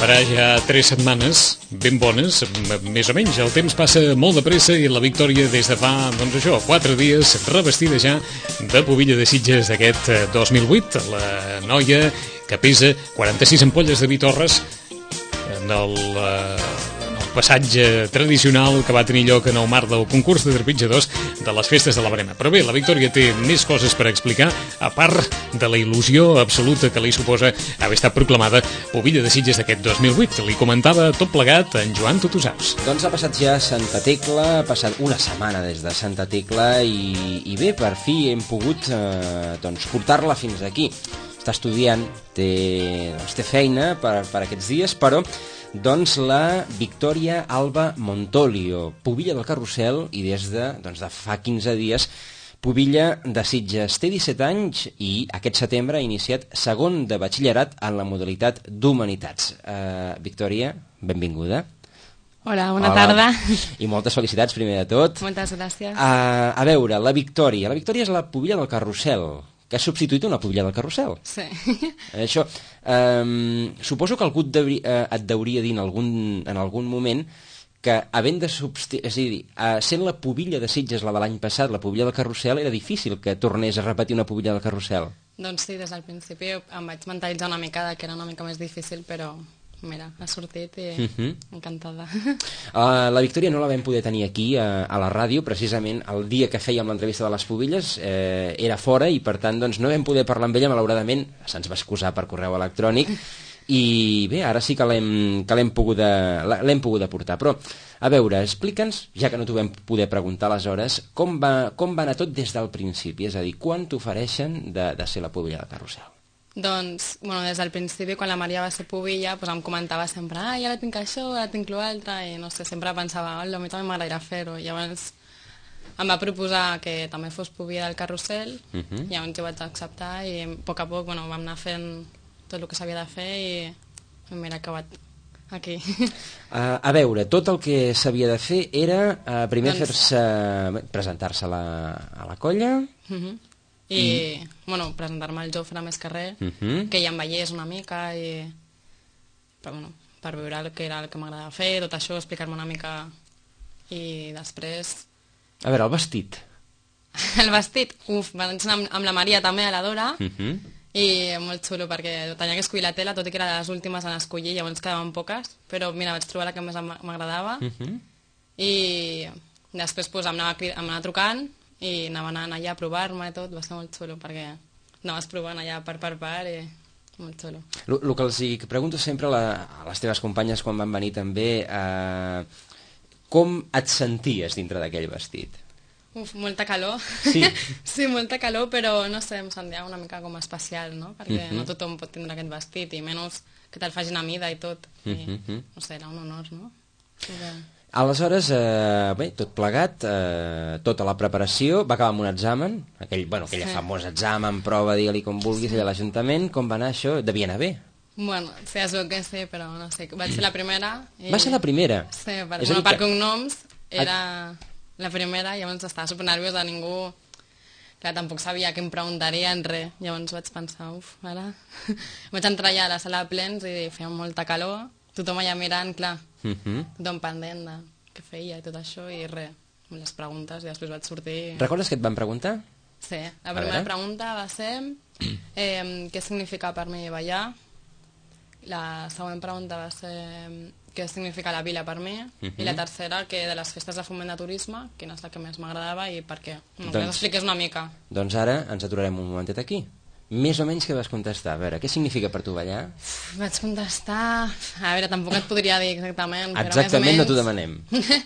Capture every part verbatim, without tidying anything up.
farà ja tres setmanes ben bones, més o menys. El temps passa molt de pressa i la Victòria des de fa, doncs això, quatre dies revestida ja de pubilla de Sitges d'aquest dos mil vuit. La noia que pesa quaranta-sis ampolles de vi Torres en el, en el passatge tradicional que va tenir lloc en el marc del concurs de trepitjadors de les festes de la Brema. Però bé, la Victòria té més coses per explicar, a part de la il·lusió absoluta que li suposa haver estat proclamada pubilla de Sitges d'aquest dos mil vuit. Li comentava tot plegat en Joan Tutusaus. Doncs ha passat ja Santa Tecla, ha passat una setmana des de Santa Tecla i, i bé, per fi hem pogut eh, doncs, portar-la fins aquí. Està estudiant, té, doncs, té feina per, per aquests dies, però doncs la Victòria Alba Montolio, pubilla del Carrusel i des de, doncs, de fa quinze dies pubilla de Sitges. Té disset anys i aquest setembre ha iniciat segon de batxillerat en la modalitat d'Humanitats. Uh, Victòria, benvinguda. Hola, bona Hola. tarda. I moltes felicitats, primer de tot. Moltes gràcies. Uh, a veure, la Victòria. La Victòria és la pubilla del Carrusel, que ha substituït una pubilla del Carrusel. Sí. Això, um, suposo que algú et, deuria, uh, et deuria dir en algun, en algun moment que havent de substituir, és a dir, uh, sent la pubilla de Sitges la de l'any passat, la pubilla del Carrusel, era difícil que tornés a repetir una pubilla del Carrusel. Doncs sí, des del principi em vaig mentalitzar una mica que era una mica més difícil, però mira, ha sortit i Uh-huh. encantada. Uh, la Victòria no la vam poder tenir aquí uh, a la ràdio, precisament el dia que fèiem l'entrevista de les pubilles eh, era fora i per tant doncs, no vam poder parlar amb ella, malauradament se'ns va excusar per correu electrònic i bé, ara sí que l'hem que l'hem pogut, l'hem pogut aportar. Però, a veure, explica'ns, ja que no t'ho vam poder preguntar aleshores, com va, com va anar tot des del principi, és a dir, quan t'ofereixen de, de ser la pubilla del Carrusel? Doncs, bueno, des del principi, quan la Maria va ser pubilla, doncs em comentava sempre, ah, ja la tinc això, ara tinc l'altre, i no sé, sempre pensava, oh, a mi també m'agradaria fer-ho. I llavors em va proposar que també fos pubilla del Carrusel, Uh-huh. i llavors jo vaig acceptar, i a poc a poc, bueno, vam anar fent tot el que s'havia de fer, i mira, he acabat aquí. Uh, a veure, tot el que s'havia de fer era uh, primer Doncs- fer-se, presentar-se a la, a la colla. Uh-huh. I, bueno, presentar-me al Jofre més carrer, Uh-huh. que ja em veiés una mica i per, bueno, per veure el que era el que m'agradava fer, tot això, explicar-me una mica i després A veure, el vestit. el vestit, uf, vaig anar amb, amb la Maria també a la Dora Uh-huh. i molt xulo perquè tenia que escollir la tela, tot i que era de les últimes en escollir, llavors quedaven poques, però mira, vaig trobar la que més em- m'agradava Uh-huh. i després pues, em, anava, cri- em anava trucant i anava anant allà a provar-me i tot, va ser molt xulo perquè anaves provant allà part per part i molt xulo. El que els hi pregunto sempre a, la, a les teves companyes quan van venir també, eh, com et senties dintre d'aquell vestit? Uf, molta calor. Sí? Sí, molta calor, però no sé, em sentia una mica com especial, no? Perquè Mhm. no tothom pot tindre aquest vestit i menys que te'l facin a mida i tot. I, Mhm. no sé, era un honor, no? Sí que... Aleshores, eh, bé, tot plegat, eh, tota la preparació, va acabar amb un examen, aquell, bueno, aquell Sí. famós examen, prova, digue-li com vulguis, allà a l'Ajuntament, com va anar això? Devia anar bé. Bueno, sí, és el que sé, però no sé, vaig ser la primera. I... Va ser la primera? Sí, per, És a bueno, dir per que- cognoms era la primera, llavors estava supernerviosa, ningú... Clar, tampoc sabia què em preguntarien, res. Llavors vaig pensar, uf, ara... vaig entrar allà a la sala de plens i feia molta calor, tothom allà mirant, clar, Uh-huh. tothom pendent de què feia i tot això, i res, les preguntes, i després vaig sortir... Recordes què et van preguntar? Sí, la A primera veure. pregunta va ser eh, què significa per mi ballar. La següent pregunta va ser què significa la vila per mi. Mhm. I la tercera, que de les festes de foment de turisme, quina és la que més m'agradava i per què. No, Doncs- que ens expliqués una mica. Doncs ara ens aturarem un momentet aquí. Més o menys què vas contestar? A veure, què significa per tu ballar? Vaig contestar... A veure, tampoc et podria dir exactament, però Exactament, més no o t'ho menys... demanem.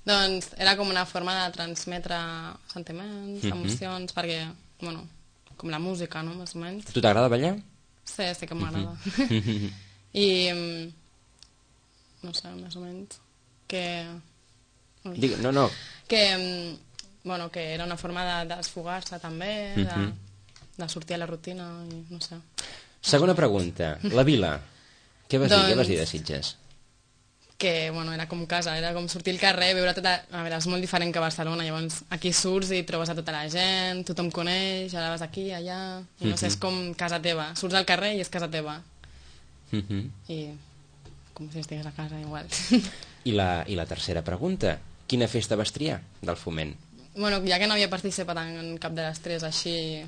Doncs era com una forma de transmetre sentiments, Mhm. emocions, perquè, bueno, com la música, no?, més o menys. A tu t'agrada ballar? Sí, sí que m'agrada. I, mm, no sé, més o menys, que... Ui. Digue, no, no. Que, mm, bueno, que era una forma de desfogar-se també, de, Mhm. de sortir a la rutina, i no sé. Segona pregunta. La vila. Què vas dir? Què Doncs- vas dir de Sitges? Que, bueno, era com casa, era com sortir al carrer, veure tota... A veure, és molt diferent que a Barcelona, llavors aquí surts i trobes a tota la gent, tothom coneix, ara vas aquí, allà... I no sé, és com casa teva. Surts al carrer i és casa teva. Mhm. I com si estigués a casa, igual. I la, I la tercera pregunta, quina festa vas triar del Foment? Bueno, ja que no havia participat en cap de les tres així,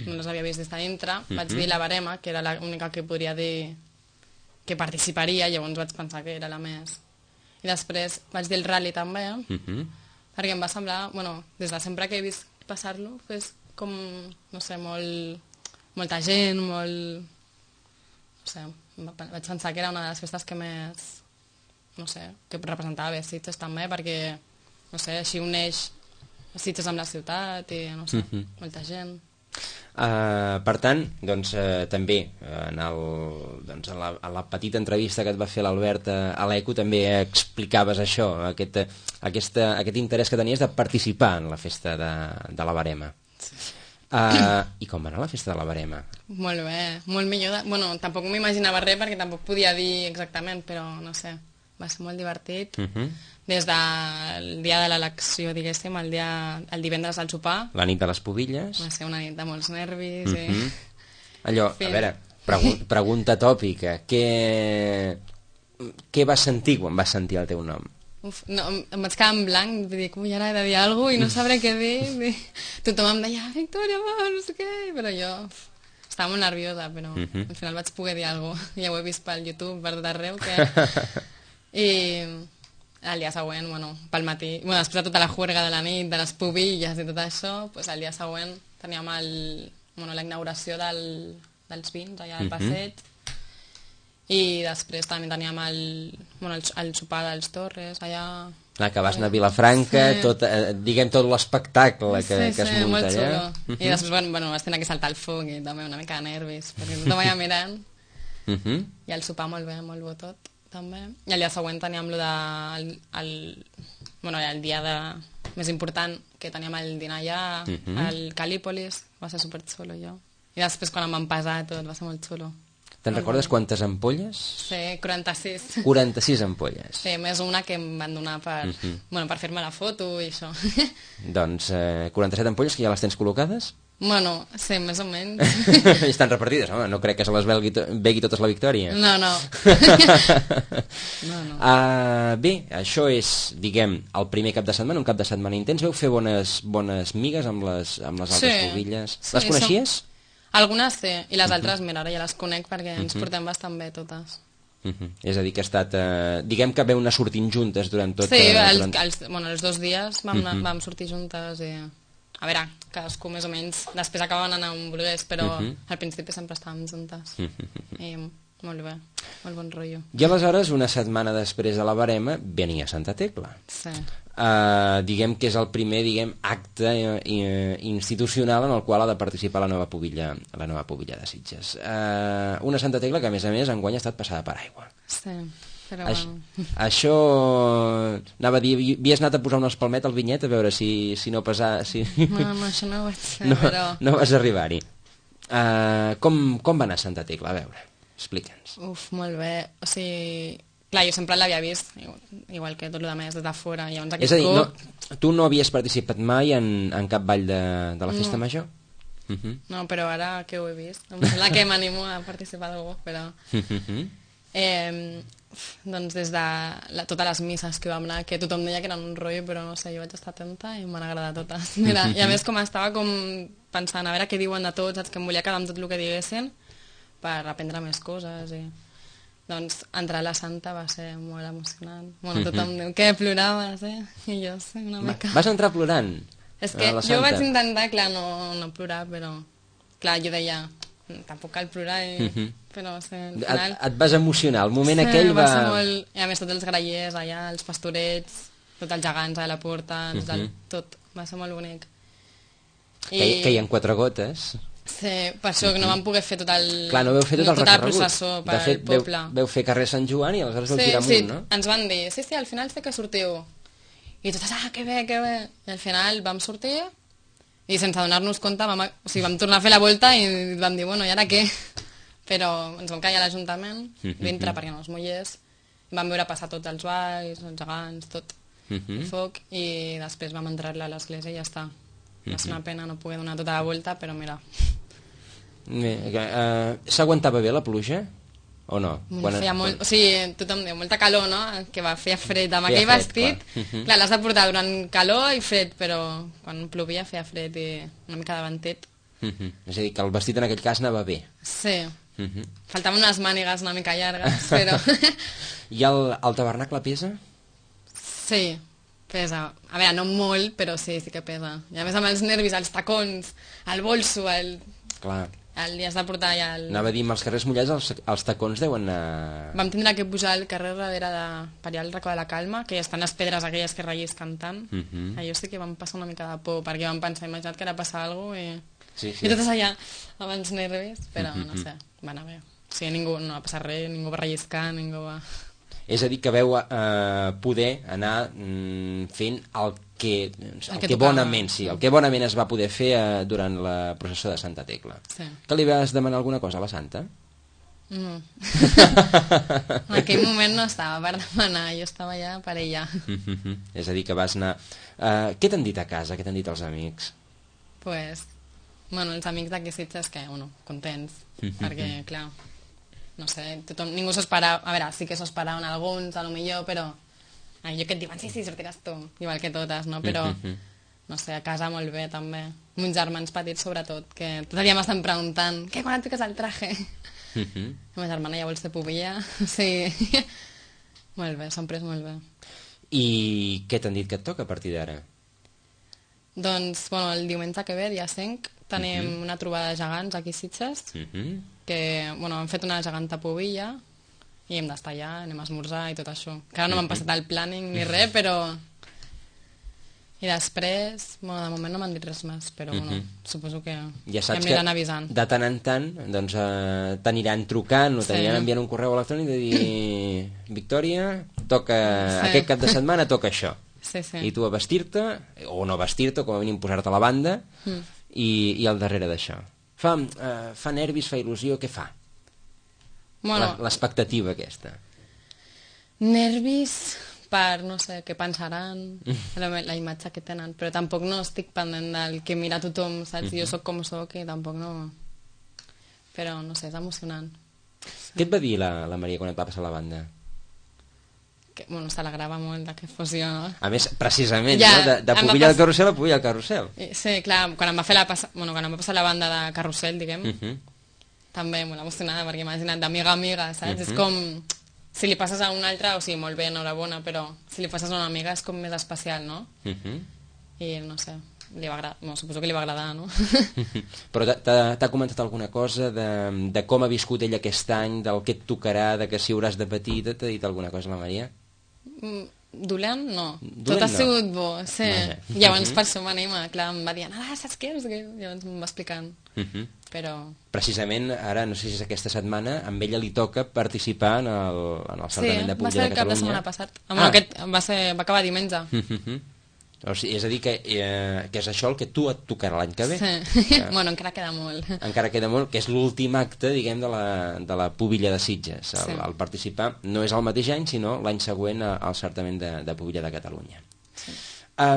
no les havia vist des de dintre, mm -hmm. vaig dir la Barema, que era l'única que podria dir que participaria, llavors vaig pensar que era la més. I després vaig dir el rally també, mm -hmm. perquè em va semblar, bueno, des de sempre que he vist passar-lo, és com, no sé, molt, molta gent, molt... no sé, vaig pensar que era una de les festes que més, no sé, que representava bé Sitges també, perquè, no sé, així uneix Sitges amb la ciutat i, no sé, mm -hmm. molta gent. Uh, per tant, doncs, uh, també en, el, doncs, en, la, en la petita entrevista que et va fer l'Albert a l'Eco també explicaves això, aquest, aquesta, aquest interès que tenies de participar en la festa de, de la Barema. Sí. Uh, I com va anar la festa de la Barema? Molt bé, molt millor. De... Bueno, tampoc m'imaginava res perquè tampoc podia dir exactament, però no sé, va ser molt divertit. Uh -huh. Des del dia de l'elecció, diguéssim, el, dia, el divendres al sopar. La nit de les Pubilles. Va ser una nit de molts nervis. Uh -huh. i... Allò, a veure, pregu pregunta tòpica, què... què vas sentir quan vas sentir el teu nom? Uf, no, em vaig quedar en blanc, vull dir, com ja ara he de dir alguna cosa i no sabré què dir. Tothom em deia, Victòria, va, no sé què, però jo uf, estava molt nerviosa, però uh -huh. al final vaig poder dir alguna cosa. Ja ho he vist pel YouTube, per tot arreu, que... I el dia següent, bueno, pel matí, bueno, després de tota la juerga de la nit, de les pubilles i tot això, pues el dia següent teníem el, bueno, la inauguració del, dels vins allà al passeig, i després també teníem el, bueno, el, el sopar dels Torres allà... Clar, que vas anar a Vilafranca, sí. tot, eh, diguem tot l'espectacle que, sí, que es sí, munta allà. Uh -huh. I després, bueno, bueno, vas tenir que saltar el foc i també una mica de nervis, perquè tothom allà mirant. Uh -huh. I el sopar molt bé, molt bo tot, també. I el dia següent teníem lo de... El, el, bueno, el dia de, més important, que teníem el dinar allà, uh -huh. al Calípolis, va ser superxulo, jo. I després, quan em van pesar tot, va ser molt xulo. Te'n recordes quantes ampolles? Sí, quaranta-sis. quaranta-sis ampolles. Sí, més una que em van donar per, uh -huh. bueno, per fer-me la foto i això. Doncs eh, quaranta-set ampolles que ja les tens col·locades? Bueno, sí, més o menys. I estan repartides, home, no crec que se les begui, to begui totes la Victòria. No, no. no, no. Uh, bé, això és, diguem, el primer cap de setmana, un cap de setmana intens. Veu fer bones, bones migues amb les, amb les altres sí. pubilles. Sí, les coneixies? Som... Algunes sí, i les altres, mira, ara ja les conec perquè ens uh -huh. portem bastant bé totes. Uh -huh. És a dir, que ha estat... Eh, diguem que veu anar sortint juntes durant tot... Sí, eh, els, durant... els, bueno, els dos dies vam, uh -huh. vam sortir juntes i... A veure, cadascú més o menys. Després acabaven anant on volgués, però uh -huh. al principi sempre estàvem juntes. Uh -huh. I molt bé, molt bon rotllo. I aleshores, una setmana després de la Barema, venia Santa Tecla. Sí. Uh, diguem que és el primer, diguem, acte uh, institucional en el qual ha de participar la nova pubilla, la nova pubilla de Sitges. Uh, una Santa Tecla que, a més a més, enguany ha estat passada per aigua. Sí, però Aix bueno. Això... Anava a dir, havies anat a posar una espalmeta al vinyet a veure si, si no pesar... Si... No, no, això no ho vaig fer, no, però... No vas arribar-hi. Uh, com, com va anar Santa Tecla? A veure, explica'ns. Uf, molt bé. O sigui... Clar, jo sempre l'havia vist, igual que tot el més, des de fora. Llavors, és a dir, cop... no, tu no havies participat mai en, en cap ball de, de la festa no. major? Uh -huh. No, però ara que ho he vist, em sembla que m'animo a participar d'algú, però... Uh -huh. eh, doncs des de la, totes les misses que vam anar, que tothom deia que eren un rotllo, però no sé, jo vaig estar atenta i m'han agradat totes. Mira, uh -huh. I a més com estava com pensant a veure què diuen de tots, saps, que em volia quedar amb tot el que diguessin per aprendre més coses i... Doncs entrar a la Santa va ser molt emocionant. Bueno, tothom diu que ploraves, eh? I jo sé, una mica... Vas entrar plorant? És que jo vaig intentar, clar, no, no plorar, però... Clar, jo deia, tampoc cal plorar, i... uh -huh. però sé, al final... Et, et vas emocionar, el moment sí, aquell va... va ser molt... I a més tots els grallers allà, els pastorets, tots els gegants a la porta, uh -huh. el... tot, va ser molt bonic. I... Que, que hi ha quatre gotes... Sí, per això que no vam poder fer tot el... Clar, no veu fer tot no, el tota recorregut. La processó per de fet, al poble. Veu, veu fer carrer Sant Joan i aleshores veu sí, tirar amunt, sí, no? ens van dir, sí, sí, al final sé que sortiu. I totes, ah, que bé, que bé. I al final vam sortir i sense donar-nos compte vam, o sigui, vam tornar a fer la volta i vam dir, bueno, i ara què? Però ens vam caure a l'Ajuntament, dintre perquè no es mullés, vam veure passar tots els balls, els gegants, tot, el foc, i després vam entrar-la a l'església i ja està. Va ser una pena no poder donar tota la volta, però mira... Uh, S'aguantava bé la pluja? o no? Bueno, Quan- feia molt, quan- o sigui, tothom diu, molta calor, no? Que va fer fred amb Feia aquell fred, vestit. clar. Mhm. Clar, l'has de portar durant calor i fred, però quan plovia feia fred i una mica de ventet. Mhm. És a dir, que el vestit en aquell cas anava bé. Sí, Mhm. faltaven unes mànigues una mica llargues, però... I el, el tabernacle pesa? Sí, pesa. A veure, no molt, però sí, sí que pesa. I a més amb els nervis, els tacons, el bolso, el... Clar. el li has de portar ja el... Anava a dir, amb els carrers mullats els, els tacons deuen anar... Vam tindre que pujar al carrer darrere de... per allà al racó de la Calma, que estan les pedres aquelles que rellisquen tant. Mhm. Allò sí que vam passar una mica de por, perquè vam pensar, imagina't que ara passa alguna cosa i... Sí, sí. I totes allà amb els nervis, però Mhm. no sé, va anar bé. O sigui, ningú, no va passar res, ningú va relliscar, ningú va... És a dir, que veu eh, poder anar mm, fent el que, el El que, que tocava. bonament, sí, el que bonament es va poder fer eh, durant la processó de Santa Tecla. Sí. Que li vas demanar alguna cosa a la Santa? No. En aquell moment no estava per demanar, jo estava ja per ella. És a dir, que vas anar... Eh, què t'han dit a casa? Què t'han dit els amics? Pues, bueno, els amics d'aquí Sitges que, bueno, contents, perquè, clar, no sé, tothom, ningú s'ho esperava, a veure, sí que s'ho esperaven alguns, a lo millor, però allò que et diuen, sí, sí, sortiràs tu, igual que totes, no? Però, no sé, a casa molt bé, també. Meus germans petits, sobretot, que tot el dia m'estan preguntant, què, quan et fiques el traje? La meva germana ja vol ser pubilla, o sigui, molt bé, s'han pres molt bé. I què t'han dit que et toca a partir d'ara? Doncs, bueno, el diumenge que ve, dia cinc, tenim una trobada de gegants aquí a Sitges, Mhm. que, bueno, hem fet una geganta pubilla i hem d'estar allà, anem a esmorzar i tot això. Que ara no m'han passat el planning ni res, però... I després, bueno, de moment no m'han dit res més, però, bueno, suposo que Ja ja saps em que aniran avisant. de tant en tant doncs, eh, t'aniran trucant o Sí. t'aniran enviant un correu electrònic de dir Victòria, toca, Sí. aquest cap de setmana toca això. Sí, sí. I tu a vestir-te, o no vestir-te, com a mínim posar-te a la banda, Mm. i, i al darrere d'això. Fa, eh, fa nervis, fa il·lusió, què fa? Bueno, La- L'expectativa aquesta. nervis per, no sé, què pensaran, la, la imatge que tenen, però tampoc no estic pendent del que mira tothom, saps? Jo sóc com sóc i tampoc no... Però, no sé, és emocionant. Què et va dir la, la Maria quan et va passar la banda? Que, bueno, s'alegrava molt de que fos jo, no? A més, precisament, Ja, no? de, de em va pubilla al pas- carrusel a pubilla al carrusel. I, sí, clar, quan em va fer la passa... bueno, quan em va passar la banda de carrusel, diguem, Mhm. també molt emocionada, perquè imagina't, d'amiga a amiga, saps? És com, si li passes a una altra, o sigui, molt bé, enhorabona, però si li passes a una amiga és com més especial, no? Mhm. I no sé, li va agradar, bueno, suposo que li va agradar, no? Però t'ha- t'ha t'ha comentat alguna cosa de, de com ha viscut ell aquest any, del que et tocarà, de que si hauràs de patir, t'ha dit alguna cosa la Maria? Mm, Dolent, no. Dolent, Tot ha no. sigut bo, sí. Vaja. Llavors, per això m'anima, clar, em va dir, ah, saps què? No sé què? Llavors em va explicant, Mhm. però... Precisament, ara, no sé si és aquesta setmana, amb ella li toca participar en el, en el Sí, certament de va pubilla ser de el cap de Catalunya. setmana passat. Ah. Ah. Bueno, aquest va, ser, va acabar diumenge. Mhm. O sigui, és a dir, que, eh, que és això el que tu et tocarà l'any que ve. Sí. Que Bueno, encara queda molt. encara queda molt, que és l'últim acte, diguem, de la, de la pubilla de Sitges. El, Sí. el participar no és el mateix any, sinó l'any següent a- al certament de, de pubilla de Catalunya. Sí.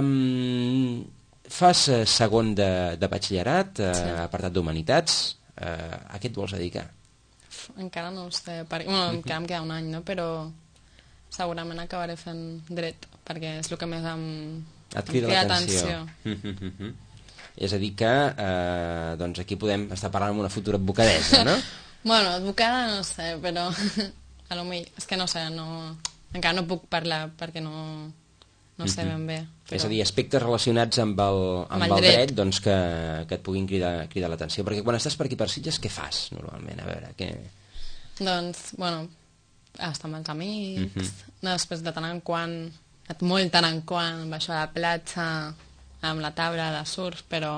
Um, fas eh, segon de, de batxillerat, eh, Sí. apartat d'Humanitats. Eh, a què et vols dedicar? Uf, encara no ho sé, perquè, bueno, encara em queda un any, no? Però segurament acabaré fent dret, perquè és el que més em, Et em crida l'atenció. atenció. És a dir que eh, doncs aquí podem estar parlant amb una futura advocadessa, no? Bueno, advocada no sé, però a lo millor, és que no sé, no, encara no puc parlar perquè no, no sé ben bé. Però... És a dir, aspectes relacionats amb el, amb Amb el el dret. dret, doncs que, que et puguin cridar, cridar l'atenció. Perquè quan estàs per aquí per Sitges, què fas normalment? A veure, què... Doncs, bueno, estar amb els amics, Mhm. després de tant en quant, molt tant en quant, baixo a la platja, amb la taula de surf, però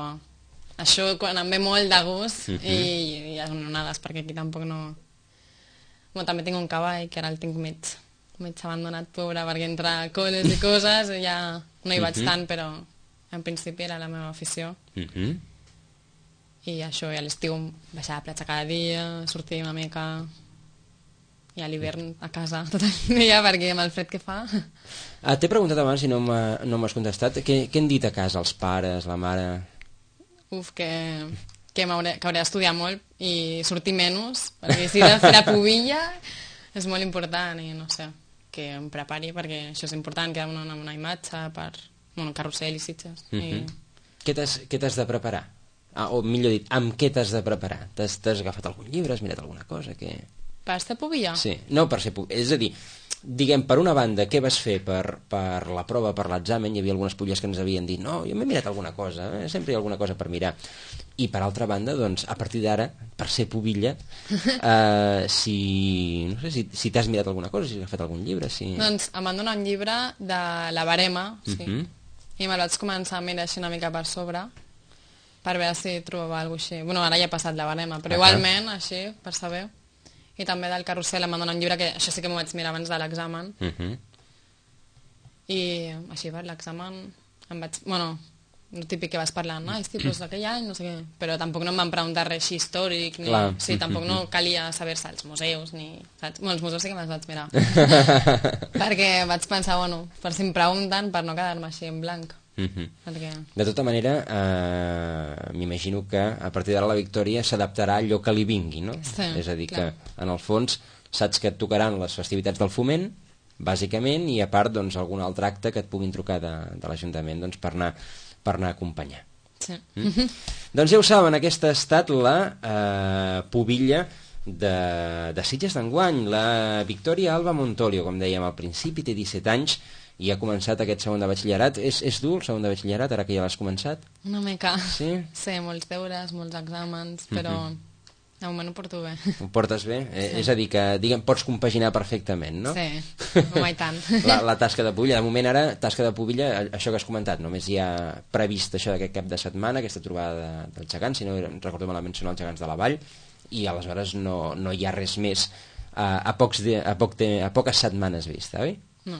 això quan em ve molt de gust Mhm. i, i les onades, perquè aquí tampoc no... Bueno, també tinc un cavall, que ara el tinc mig, mig abandonat, pobre, perquè entre coles i coses ja no hi vaig Mhm. tant, però en principi era la meva afició. Mhm. I això, i a l'estiu baixar a la platja cada dia, sortir una mica, i a l'hivern a casa tot el dia, perquè amb el fred que fa... Ah, t'he preguntat abans i no m'ha- no m'has contestat. Què, què han dit a casa els pares, la mare? Uf, que, que, que hauré d'estudiar molt i sortir menys, perquè si he de fer la pubilla és molt important i no sé, que em prepari perquè això és important, quedar una, una imatge per bueno, carrusel i Sitges. Mm -hmm. I... Què t'has de preparar? Ah, o millor dit, amb què t'has de preparar? T'has agafat algun llibre, has mirat alguna cosa? Que... Per ser pubilla? Sí, no per ser pubilla, és a dir, diguem, per una banda, què vas fer per, per la prova, per l'examen? Hi havia algunes pulles que ens havien dit, no, jo m'he mirat alguna cosa, eh? Sempre hi ha alguna cosa per mirar. I per altra banda, doncs, a partir d'ara, per ser pubilla, eh, si, no sé, si, si t'has mirat alguna cosa, si has agafat algun llibre, si... Doncs em van donar un llibre de la barema, sí, uh -huh. i me'l vaig començar a mirar així una mica per sobre, per veure si trobava alguna cosa així. Bueno, ara ja he passat la barema, però uh -huh. igualment, així, per saber. I també del carrusel em van donar un llibre que això sí que m'ho vaig mirar abans de l'examen. Uh -huh. I així per l'examen em vaig... Bueno, el típic que vas parlant, no? Hosti, doncs aquell any, no sé què... Però tampoc no em van preguntar res així històric, ni... Clar. Sí, tampoc no calia saber-se els museus, ni... Saps? Bueno, els museus sí que me'ls vaig mirar. Perquè vaig pensar, bueno, per si em pregunten, per no quedar-me així en blanc. Uh -huh. Perquè... De tota manera, eh, m'imagino que a partir d'ara la Victòria s'adaptarà a allò que li vingui, no? Sí, és a dir, clar. Que en el fons saps que et tocaran les festivitats del foment, bàsicament, i a part, doncs, algun altre acte que et puguin trucar de, de l'Ajuntament, doncs, per anar, per anar a acompanyar. Sí. Mm? Doncs ja ho saben, aquesta ha estat la eh, pubilla de, de Sitges d'enguany, la Victòria Alba Montolio, com dèiem al principi, té disset anys, i ha començat aquest segon de batxillerat. És, és dur el segon de batxillerat, ara que ja l'has començat? Una mica. Sí? Sí, molts deures, molts exàmens, però uh -huh. de moment ho porto bé. Ho portes bé? Sí. Eh, és a dir, que diguem, pots compaginar perfectament, no? Sí, no i tant. La, la tasca de pubilla, de moment ara, tasca de pubilla, això que has comentat, només hi ha previst això d'aquest cap de setmana, aquesta trobada de, dels gegants, si no recordo malament són els gegants de la Vall, i aleshores no, no hi ha res més a, a, pocs de, a, poc de, a poques setmanes vista, oi? No.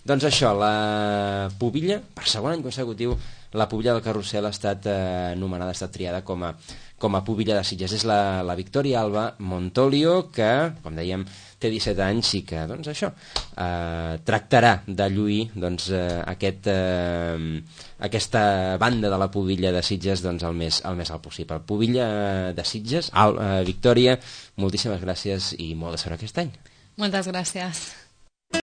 Doncs això, la pubilla, per segon any consecutiu, la pubilla del carrusel ha estat eh, nomenada, ha estat triada com a, com a pubilla de Sitges. És la, la Victòria Alba Montolio, que, com dèiem, té disset anys i que, doncs això, eh, tractarà de lluir doncs, eh, aquest, eh, aquesta banda de la pubilla de Sitges doncs, el, més, el més alt possible. Pubilla de Sitges, Al, eh, Victòria, moltíssimes gràcies i molt de sort aquest any. Moltes gràcies.